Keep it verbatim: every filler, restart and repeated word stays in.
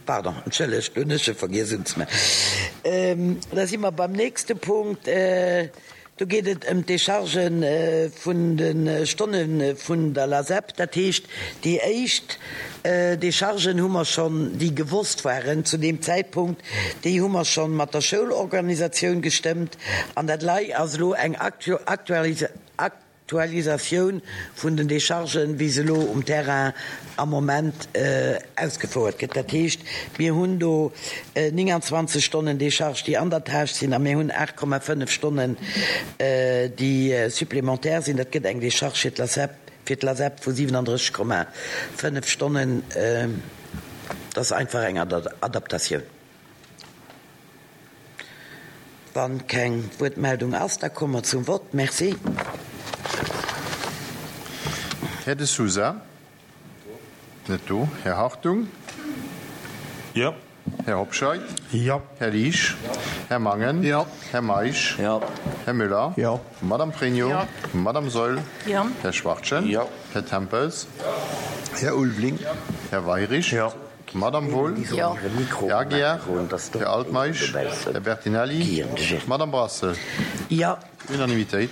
Pardon, entschëllegt, do hunn ech e vergiess unzemaachen. Da si mer beim nächste Punkt. Do geet et ëm d'Décharge vun de Stonne vun der LASEP. Dat heescht, déi éischt Déchargen hu mer schonn, déi gewosst waren zu deem Zäitpunkt, déi hu mer schonn mat der Schoulorganisatioun gestëmmt. An dat lei ass elo eng Aktualisatioun vun den Déchargen, wéi se elo um Terrain am Moment ausgefouert gëtt. Dat heescht, mir hunn do nénganzwanzeg Stonnen Décharge, déi an der Tâche sinn, a mir hunn aacht Komma fënnef Stonnen, déi supplémentaire sinn. Dat gëtt eng Décharge fir d'LASEP, fir d'LASEP vu siwenandrësseg Komma fënnef Stonnen. Dat ass einfach eng Adaptatioun. Wann keng Wuertmeldung ass, da komme mer zum Vott. Merci. Här De Sousa? Net do. Här Hartung? Jo. Här Hobscheit? Jo. Här Liesch? Jo. Här Mangen? Jo. Här Meisch? Jo. Här Müller? Jo. Madame Pregno? Jo. Madame Saeul? Jo. Här Schwachtgen? Jo. Här Tempels? Jo. Här Ulveling? Jo. Här Weirich? Jo. Madame Wohl? Jo. Här Aguiar? Här Altmeisch? Här Bertinelli? Madame Brassel? Jo. Unanimitéit.